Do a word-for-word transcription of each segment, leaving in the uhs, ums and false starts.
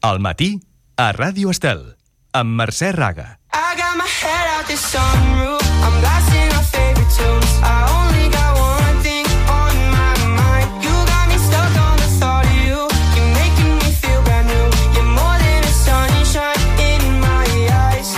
Al matí, a Ràdio Estel, amb Mercè Raga. I got my head out the sunroof, I'm blasting our favorite tunes. I only got one thing on my mind. You got me stuck on the thought of you. You're making me feel brand new. You're more than a sunshine in my eyes.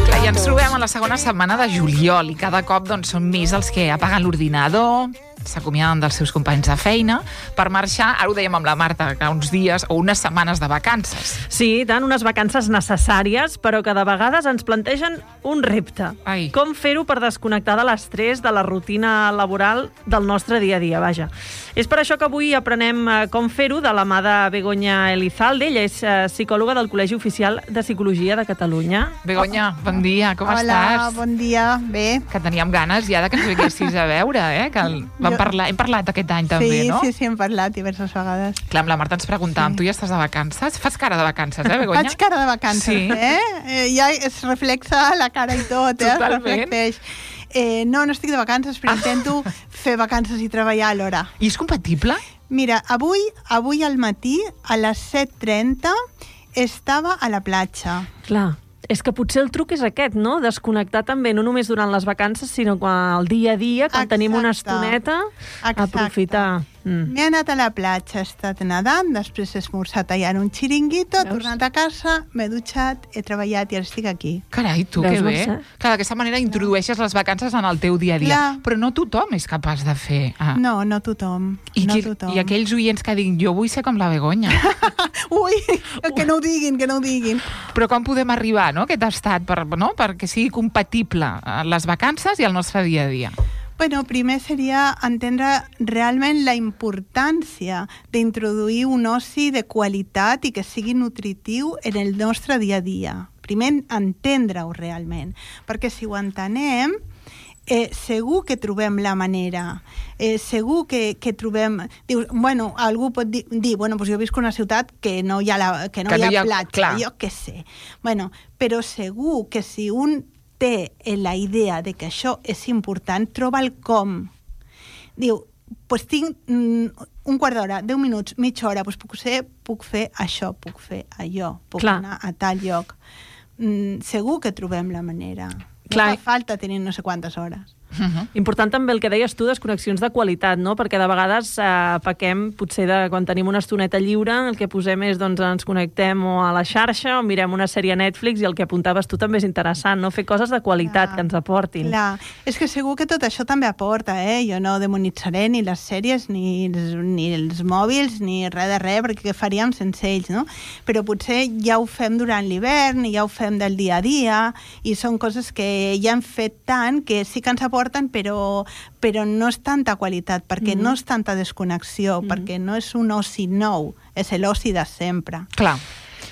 Clar, ja ens trobem a la segona setmana de juliol i cada cop doncs, són més els que apaguen l'ordinador, s'acomiaden dels seus companys de feina per marxar, ara ho dèiem amb la Marta, que uns dies o unes setmanes de vacances. Sí, tant, unes vacances necessàries, però que de vegades ens plantegen un repte. Ai. Com fer-ho per desconnectar de l'estrès, de la rutina laboral del nostre dia a dia, vaja. És per això que avui aprenem com fer-ho de la mà de Begoña Elizalde. Ella és psicòloga del Col·legi Oficial de Psicologia de Catalunya. Begoña, bon dia, com Hola, estàs? Hola, bon dia, bé. Que teníem ganes ja de que ens vinguessis a veure, eh? Que el... Vam Jo- parlar, hem parlat aquest any també, sí, no? Sí, sí, hem parlat diverses vegades. Clar, amb la Marta ens preguntàvem, Sí. tu ja estàs de vacances? Fas cara de vacances, eh, Begoña? Faig cara de vacances, Sí. eh? eh? Ja es reflexa la cara i tot, eh? Totalment. Es reflecteix. Eh, no, no estic de vacances, però intento fer vacances i treballar alhora. I és compatible? Mira, avui, avui al matí, a les set trenta, estava a la platja. Clar, és que potser el truc és aquest, no? Desconnectar també, no només durant les vacances, sinó quan el dia a dia, quan Exacte. tenim una estoneta, Exacte. aprofitar. Mm. M'he anat a la platja, he estat nedant, després he esmorzat allà en un xiringuito, he Veus? tornat a casa, m'he dutxat, he treballat i ara estic aquí. Carai, tu, Veus, que bé. Mercè? Clar, d'aquesta manera introdueixes les vacances en el teu dia a dia. Clar. Però no tothom és capaç de fer... Ah. No, no tothom. I, no qui, tothom. I aquells oients que diguin, jo vull ser com la Begoña. Ui, que no ho diguin, que no ho diguin. Però com podem arribar, no?, a aquest estat, per, no?, perquè sigui compatible eh, les vacances i el nostre dia a dia. Bueno, primer seria entendre realment la importància d'introduir un oci de qualitat i que sigui nutritiu en el nostre dia a dia. Primer, entendre-ho realment, perquè si ho entenem, eh, segur que trobem la manera, eh, segur que, que trobem... Dius, bueno, algú pot dir, dir bueno, doncs jo visc en una ciutat que no hi ha, la, que no Que hi no ha, hi ha- platja, clar. jo què sé. Bueno, però segur que si un té la idea de que això és important, troba el com. Diu, pues tinc mm, un quart d'hora, deu minuts, mitja hora, pues puc, ser, puc fer això, puc fer allò, puc Clar. anar a tal lloc. Mm, segur que trobem la manera. Clar. No fa falta tenir no sé quantes hores. Uh -huh. Important també el que deies tu, desconnexions de qualitat, no? Perquè de vegades eh, pequem, potser de, quan tenim una estoneta lliure, el que posem és, doncs, ens connectem o a la xarxa o mirem una sèrie a Netflix i el que apuntaves tu també és interessant, no? Fer coses de qualitat Clar. que ens aportin. Clar, és que segur que tot això també aporta, eh? Jo no demonitzaré ni les sèries, ni els, ni els mòbils, ni res de res, perquè què faríem sense ells, no? Però potser ja ho fem durant l'hivern, i ja ho fem del dia a dia, i són coses que ja hem fet tant que sí que ens aporten, però, però no és tanta qualitat, perquè Mhm. no és tanta desconnexió, Mhm. perquè no és un oci nou, és l'oci de sempre. Clar.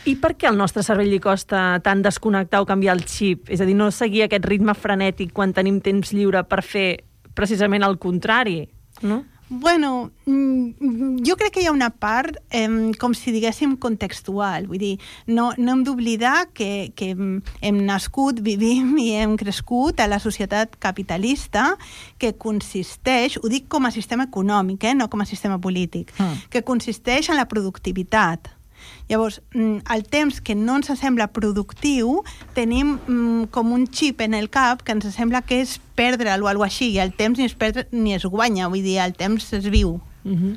I per què al nostre cervell li costa tant desconnectar o canviar el xip? És a dir, no seguir aquest ritme frenètic quan tenim temps lliure per fer precisament el contrari, no? Bueno, mm, jo crec que hi ha una part, eh, com si diguéssim, contextual. Vull dir, no, no hem d'oblidar que, que hem nascut, vivim i hem crescut a la societat capitalista que consisteix, ho dic com a sistema econòmic, eh, no com a sistema polític, Mm. que consisteix en la productivitat. Llavors, el temps que no ens sembla productiu, tenim mm, com un xip en el cap que ens sembla que és perdre'l o alguna cosa així, i el temps ni es perd ni es guanya, vull dir, el temps es viu. Uh-huh.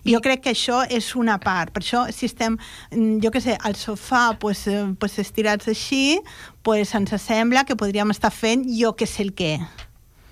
Jo crec que això és una part. Per això, si estem, mm, jo què sé, al sofà, pues, eh, pues estirats així, pues ens sembla que podríem estar fent jo què sé el què.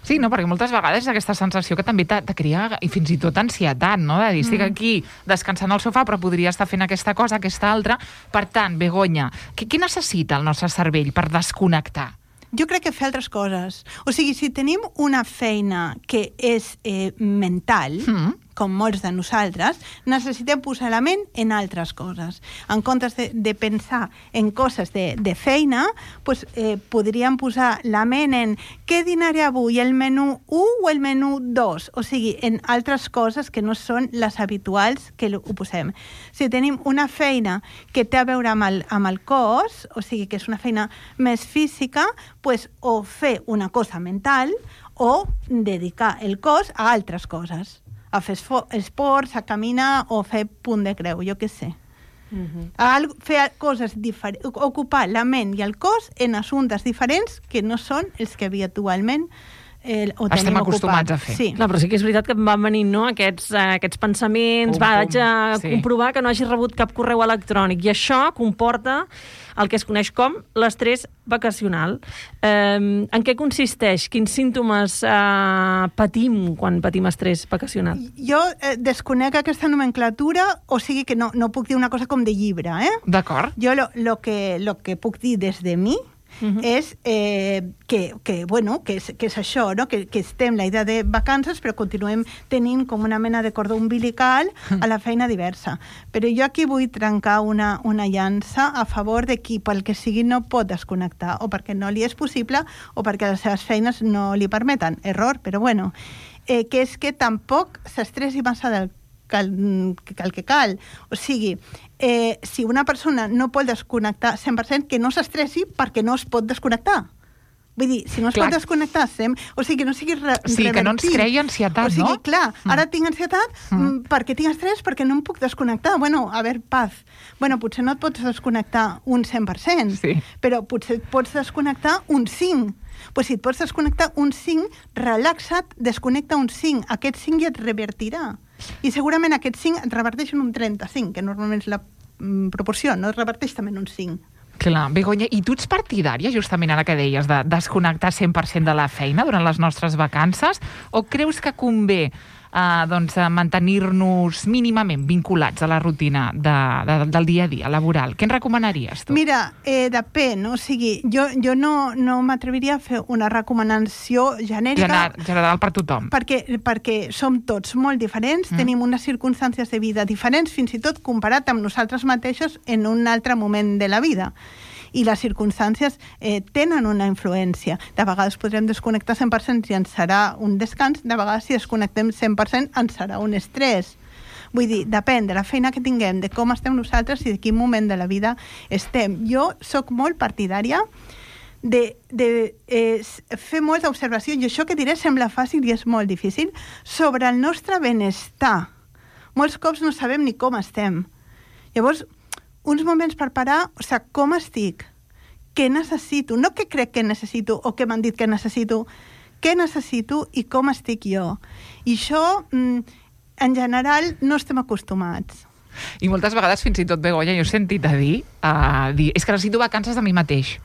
Sí, no, perquè moltes vegades aquesta sensació que també te, te crea i fins i tot ansietat, no? De dir, estic aquí descansant al sofà, però podria estar fent aquesta cosa, aquesta altra. Per tant, Begoña, què, què necessita el nostre cervell per desconnectar? Jo crec que fer altres coses. O sigui, si tenim una feina que és eh, mental, Mm. com molts de nosaltres, necessitem posar la ment en altres coses. En comptes de, de pensar en coses de, de feina, pues, eh, podríem posar la ment en què dinaré avui, el menú u o el menú dos? O sigui, en altres coses que no són les habituals que ho posem. Si tenim una feina que té a veure amb el, amb el cos, o sigui, que és una feina més física, pues, o fer una cosa mental o dedicar el cos a altres coses, a fer esports, a caminar o fer punt de creu, jo què sé. Algo, fer coses diferents, ocupar la ment i el cos en assumptes diferents que no són els que habitualment eh, ho Estem tenim acostumats ocupat. a fer. Sí. Clar, però sí que és veritat que em van venint, no?, aquests, eh, aquests pensaments, Pum, va, pum, haig de sí. comprovar que no hagi rebut cap correu electrònic, i això comporta el que es coneix com l'estrès vacacional. Eh, en què consisteix? Quins símptomes eh, patim quan patim estrès vacacional? Jo eh, desconec aquesta nomenclatura, o sigui que no, no puc dir una cosa com de llibre, eh? D'acord. Jo lo, lo, que, lo que puc dir des de mi Uh-huh. és eh, que, que, bueno, que, és, que és això, no? que, que estem la idea de vacances però continuem tenint com una mena de cordó umbilical a la feina diversa. Però jo aquí vull trencar una, una llança a favor de qui pel que sigui no pot desconnectar, o perquè no li és possible o perquè les seves feines no li permeten. Error, però bueno. Eh, que és que tampoc s'estressi massa del cal, que cal que cal. O sigui, eh, si una persona no pot desconnectar cent per cent, que no s'estressi perquè no es pot desconnectar. Vull dir, si no es Clar. pot desconnectar, sem... o sigui, que no sigui re Sí, que no ens revertit. creï ansietat, O sigui, no? clar, ara Mm. tinc ansietat mm. perquè tinc estrès, perquè no em puc desconnectar. Bueno, a veure, paz. Bueno, potser no et pots desconnectar un cent per cent, Sí. però potser et pots desconnectar un cinc. Pues si et pots desconnectar un cinc, relaxa't, desconnecta un cinc. Aquest cinc ja et revertirà. I segurament aquest cinc et reverteix en un trenta-cinc, que normalment és la mm, proporció, no? Et reverteix també en un cinc. Clar, Begoña, i tu ets partidària, justament ara que deies, de desconnectar cent per cent de la feina durant les nostres vacances, o creus que convé eh, doncs, eh, mantenir-nos mínimament vinculats a la rutina de, de, del dia a dia laboral? Què ens recomanaries, tu? Mira, eh, depèn, o sigui, jo, jo no, no m'atreviria a fer una recomanació genèrica General, general per tothom. perquè, perquè som tots molt diferents, mm. tenim unes circumstàncies de vida diferents, fins i tot comparat amb nosaltres mateixos en un altre moment de la vida. I les circumstàncies eh, tenen una influència. De vegades podrem desconnectar cent per cent i ens serà un descans, de vegades si desconnectem cent per cent ens serà un estrès. Vull dir, depèn de la feina que tinguem, de com estem nosaltres i de quin moment de la vida estem. Jo sóc molt partidària de, de eh, fer molta observació, i això que diré sembla fàcil i és molt difícil, sobre el nostre benestar. Molts cops no sabem ni com estem. Llavors, uns moments per parar, o sigui, com estic? Què necessito? No què crec que necessito o què m'han dit que necessito. Què necessito i com estic jo? I això, en general, no estem acostumats. I moltes vegades, fins i tot, Begoña, jo he sentit a dir, a dir és que necessito vacances de mi mateix.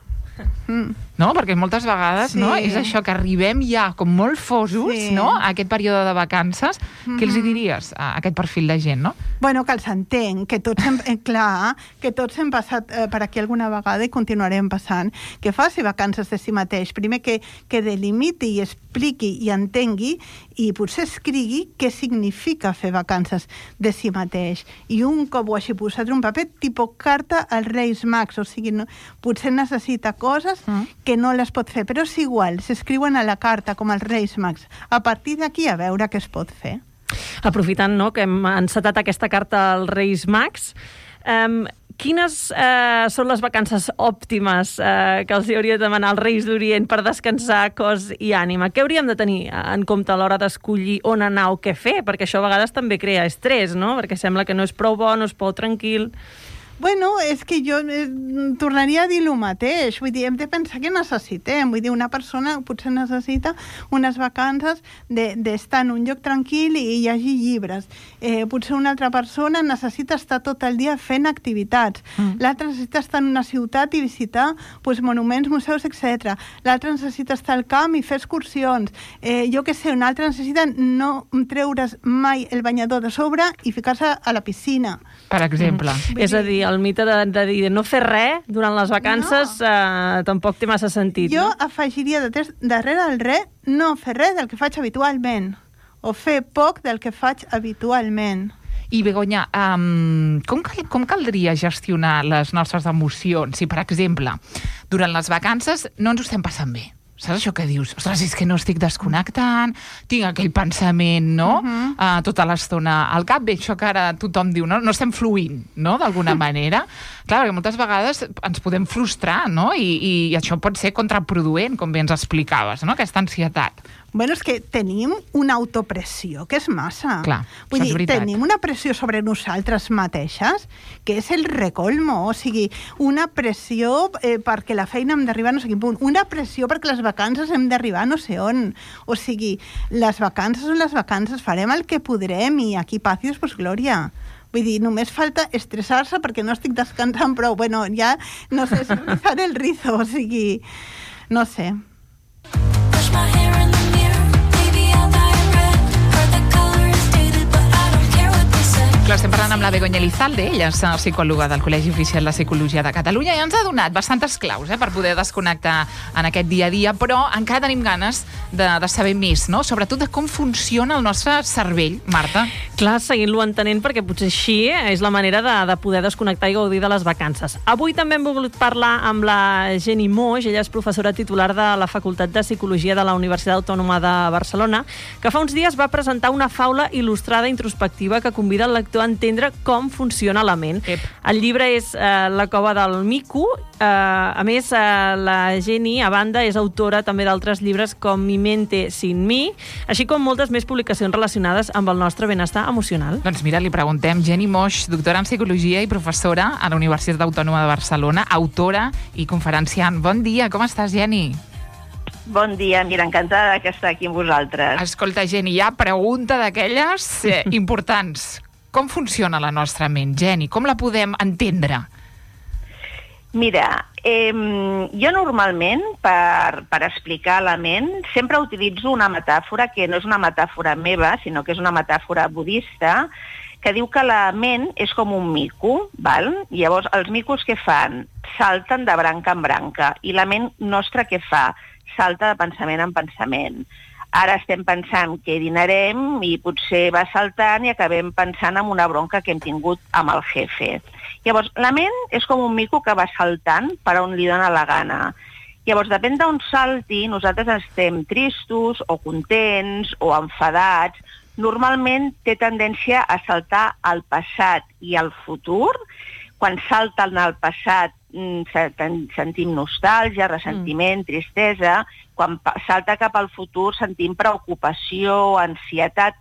Mm. No? Perquè moltes vegades Sí. no? és això, que arribem ja com molt fosos Sí. no? a aquest període de vacances. Mm-hmm. Què els hi diries a aquest perfil de gent, no? Bueno, que els entenc, que tots hem, eh, clar, que tots hem passat eh, per aquí alguna vegada i continuarem passant, que faci vacances de si mateix. Primer que, que delimiti i expliqui i entengui i potser escrigui què significa fer vacances de si mateix. I un cop ho hagi posat en un paper, tipus carta als Reis Mags, o sigui, no, potser necessita coses mm. que no les pot fer, però és igual, s'escriuen a la carta com els Reis Mags. A partir d'aquí a veure què es pot fer. Aprofitant, no, que hem encetat aquesta carta als Reis Mags, um, quines eh, són les vacances òptimes eh, que els hauria de demanar als Reis d'Orient per descansar cos i ànima? Què hauríem de tenir en compte a l'hora d'escollir on anar o què fer? Perquè això a vegades també crea estrès, no? Perquè sembla que no és prou bo, no és prou tranquil. Bueno, és que jo eh, tornaria a dir el mateix. Vull dir, hem de pensar què necessitem. Vull dir, una persona potser necessita unes vacances d'estar de, en un lloc tranquil i hi hagi llibres. Eh, potser una altra persona necessita estar tot el dia fent activitats. Mm. L'altra necessita estar en una ciutat i visitar pues, monuments, museus, etcètera. L'altra necessita estar al camp i fer excursions. Eh, jo què sé, una altra necessita no treure's mai el banyador de sobre i ficar-se a la piscina. Per exemple. Mm. És a dir, el mite de, de dir no fer res durant les vacances no. eh, tampoc té massa sentit. Jo no? afegiria de tres, darrere del res no fer res del que faig habitualment o fer poc del que faig habitualment. I, Begoña, um, com, cal, com caldria gestionar les nostres emocions si, per exemple, durant les vacances no ens ho estem passant bé? Saps això que dius? Ostres, és que no estic desconnectant, tinc aquell pensament, no? Uh-huh. uh, tota l'estona al cap. Bé, això que ara tothom diu, no? No estem fluint, no?, d'alguna manera. Clar, perquè moltes vegades ens podem frustrar, no? I, i això pot ser contraproduent, com bé ens explicaves, no? Aquesta ansietat. Bueno, és que tenim una autopressió que és massa. Clar, Vull això dir, és veritat. tenim una pressió sobre nosaltres mateixes que és el recolmo, o sigui, una pressió eh, perquè la feina hem d'arribar a no sé quin punt, una pressió perquè les vacances hem d'arribar a no sé on. O sigui, les vacances són les vacances, farem el que podrem i aquí paz i pues glòria. Vull dir, només falta estressar-se perquè no estic descansant prou. Bueno, ja no sé si rizar el rizo, o sigui, no sé. Brush my hair in the mirror, maybe I'll dye it red. Heard the color is dated, but I don't care what they say. Clar, estem parlant amb la Begoña Elizalde, ella és psicòloga del Col·legi Oficial de Psicologia de Catalunya i ens ha donat bastantes claus eh, per poder desconnectar en aquest dia a dia, però encara tenim ganes de, de saber més, no? Sobretot de com funciona el nostre cervell, Marta. Clar, seguint-lo entenent, perquè potser així és la manera de, de poder desconnectar i gaudir de les vacances. Avui també hem volgut parlar amb la Jenny Moix, ella és professora titular de la Facultat de Psicologia de la Universitat Autònoma de Barcelona, que fa uns dies va presentar una faula il·lustrada introspectiva que convida el lector a entendre com funciona la ment. Ep. El llibre és eh, La cova del mico. Eh, a més, eh, la Jenny, a banda, és autora també d'altres llibres com Mi mente sin mi, així com moltes més publicacions relacionades amb el nostre benestar emocional. Doncs mira, li preguntem, Jenny Moix, doctora en Psicologia i professora a la Universitat Autònoma de Barcelona, autora i conferenciant. Bon dia, com estàs, Jenny? Bon dia, mira, encantada d'estar aquí amb vosaltres. Escolta, Jenny, hi ha pregunta d'aquelles eh, importants. Com funciona la nostra ment, Jenny? Com la podem entendre? Mira, eh, jo normalment, per, per explicar la ment, sempre utilitzo una metàfora que no és una metàfora meva, sinó que és una metàfora budista, que diu que la ment és com un mico, val? Llavors, els micos què fan? Salten de branca en branca. I la ment nostra què fa? Salta de pensament en pensament. Ara estem pensant que dinarem i potser va saltant i acabem pensant en una bronca que hem tingut amb el jefe. Llavors, la ment és com un mico que va saltant per on li dona la gana. Llavors, depèn d'on salti, nosaltres estem tristos o contents o enfadats. Normalment té tendència a saltar al passat i al futur. Quan salten al passat sentim nostàlgia, ressentiment, tristesa. Quan salta cap al futur sentim preocupació, ansietat.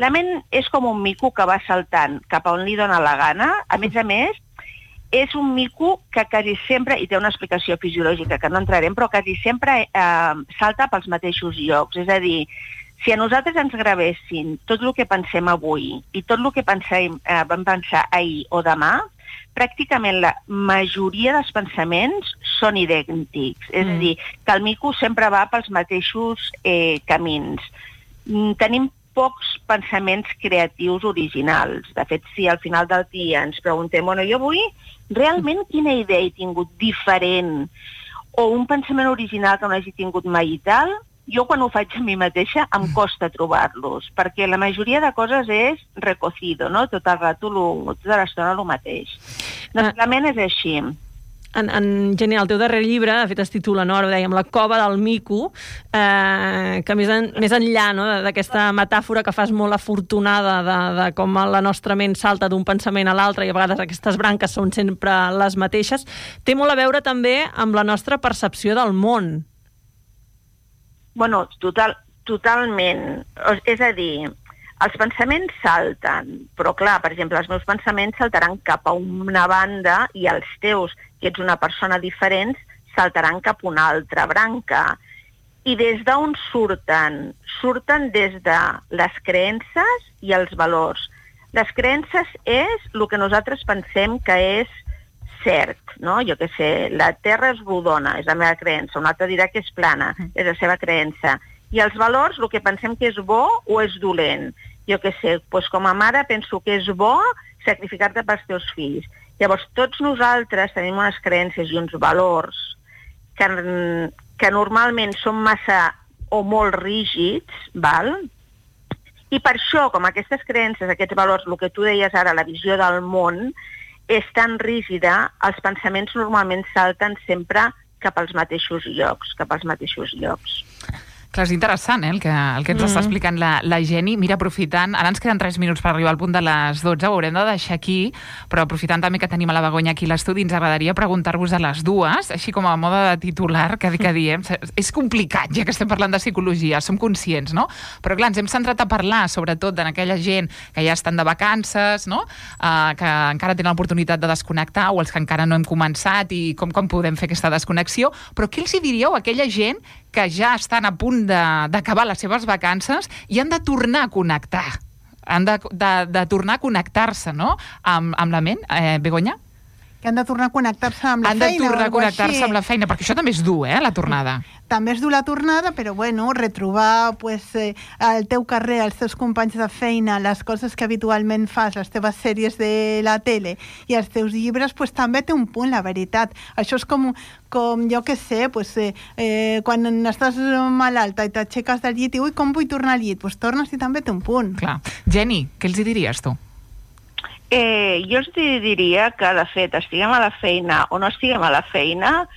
La ment és com un mico que va saltant cap a on li dona la gana. A més a més, és un mico que quasi sempre, i té una explicació fisiològica que no entrarem, però quasi sempre eh, salta pels mateixos llocs. És a dir, si a nosaltres ens gravessin tot el que pensem avui i tot el que pensem, eh, vam pensar ahir o demà, pràcticament la majoria dels pensaments són idèntics. És mm. a dir, que el mico sempre va pels mateixos eh, camins. Mm, tenim pocs pensaments creatius originals. De fet, si al final del dia ens preguntem, bueno, jo avui realment quina idea he tingut diferent o un pensament original que no hagi tingut mai i tal, jo quan ho faig a mi mateixa em costa trobar-los, perquè la majoria de coses és recocido, no? Tot el rato, lo, tota l'estona el mateix. Doncs la ment és així. En, en Jenny, el teu darrer llibre, de fet es titula, no? Ara ho dèiem, La cova del mico, eh, que més, en, més enllà, no? d'aquesta metàfora que fas molt afortunada de, de com la nostra ment salta d'un pensament a l'altre i a vegades aquestes branques són sempre les mateixes, té molt a veure també amb la nostra percepció del món. Bueno, total, totalment. És a dir, els pensaments salten, però clar, per exemple, els meus pensaments saltaran cap a una banda i els teus, que ets una persona diferent, saltaran cap a una altra branca. I des d'on surten? Surten des de les creences i els valors. Les creences és el que nosaltres pensem que és cert, no? Jo què sé, la Terra és rodona, és la meva creença, un altre dirà que és plana, és la seva creença. I els valors, el que pensem que és bo o és dolent. Jo què sé, doncs com a mare penso que és bo sacrificar-te pels teus fills. Llavors, tots nosaltres tenim unes creences i uns valors que, que normalment són massa o molt rígids, val? I per això, com aquestes creences, aquests valors, el que tu deies ara, la visió del món, és tan rígida, els pensaments normalment salten sempre cap als mateixos llocs, cap als mateixos llocs. Clar, és interessant, eh, el que, el que ens mm -hmm. està explicant la, la Jenny. Mira, aprofitant, ara ens queden tres minuts per arribar al punt de les dotze, ho haurem de deixar aquí, però aprofitant també que tenim a la Begoña aquí a l'estudi, ens agradaria preguntar-vos a les dues, així com a moda de titular, que, que diem, és complicat, ja que estem parlant de psicologia, som conscients, no? Però clar, ens hem centrat a parlar, sobretot, en aquella gent que ja estan de vacances, no? Uh, que encara tenen l'oportunitat de desconnectar, o els que encara no hem començat, i com, com podem fer aquesta desconnexió. Però què els hi diríeu a aquella gent que ja estan a punt d'acabar les seves vacances i han de tornar a connectar, han de, de, de tornar a connectar-se, no?, amb, amb la ment, eh, Begoña? Que han de tornar a connectar-se amb la han feina. Han de tornar a connectar-se amb la feina, perquè això també és dur, eh, la tornada. També és dur la tornada, però bueno, retrobar pues, eh, el teu carrer, els teus companys de feina, les coses que habitualment fas, les teves sèries de la tele i els teus llibres, pues, també té un punt, la veritat. Això és com, com jo què sé, pues, eh, eh, quan estàs malalta i t'aixeques del llit i ui, com vull tornar al llit? Pues tornes i també té un punt. Clar. Jenny, què els hi diries tu? Eh, jo els diria que, de fet, estiguem a la feina o no estiguem a la feina,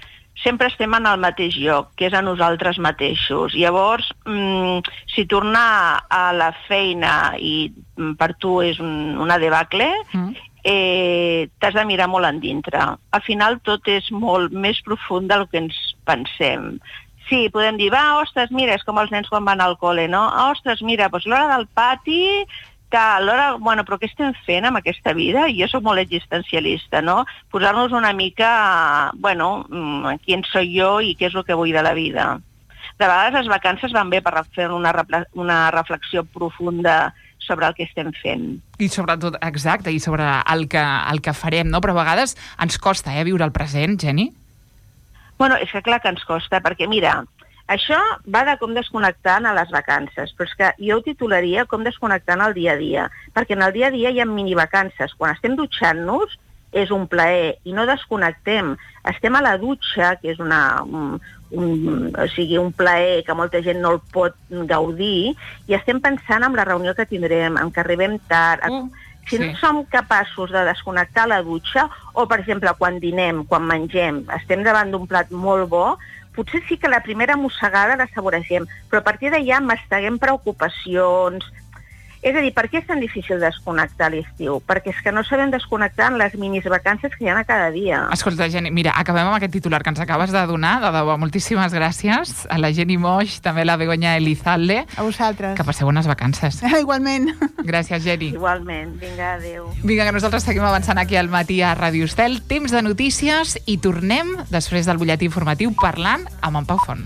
sempre estem en el mateix lloc, que és a nosaltres mateixos. Llavors, mmm, si tornar a la feina i per tu és un, una debacle, mm. eh, t'has de mirar molt endintre. Al final tot és molt més profund del que ens pensem. Sí, podem dir, va, ostres, mira, és com els nens quan van al col·le, no? Ah, ostres, mira, doncs l'hora del pati... Alhora, bueno, però què estem fent amb aquesta vida? Jo soc molt existencialista, no? Posar-nos una mica, bueno, quién soy jo i què és el que vull de la vida. De vegades les vacances van bé per fer una, una reflexió profunda sobre el que estem fent. I sobretot, exacte, i sobre el que, el que farem, no? Però a vegades ens costa, eh, viure el present, Jenny? Bueno, és que clar que ens costa, perquè mira, això va de com desconnectant a les vacances, però és que jo ho titularia com desconnectant al dia a dia, perquè en el dia a dia hi ha minivacances. Quan estem dutxant-nos és un plaer i no desconnectem. Estem a la dutxa, que és una, un, un, o sigui, un plaer que molta gent no el pot gaudir, i estem pensant en la reunió que tindrem, en que arribem tard... Mm. Si no sí. som capaços de desconnectar la dutxa, o, per exemple, quan dinem, quan mengem, estem davant d'un plat molt bo, potser sí que la primera mossegada la saboregem, però a partir d'allà masteguem preocupacions. És a dir, per què és tan difícil desconnectar l'estiu? Perquè és que no sabem desconnectar en les minis vacances que hi ha a cada dia. Escolta, Jenny, mira, acabem amb aquest titular que ens acabes de donar, de debò, moltíssimes gràcies a la Jenny Moix, també a la Begoña Elizalde. A vosaltres. Que passeu bones vacances. Igualment. Gràcies, Jenny. Igualment. Vinga, adéu. Vinga, que nosaltres seguim avançant aquí al matí a Ràdio Estel. Temps de notícies i tornem després del butlletí informatiu parlant amb en Pau Font.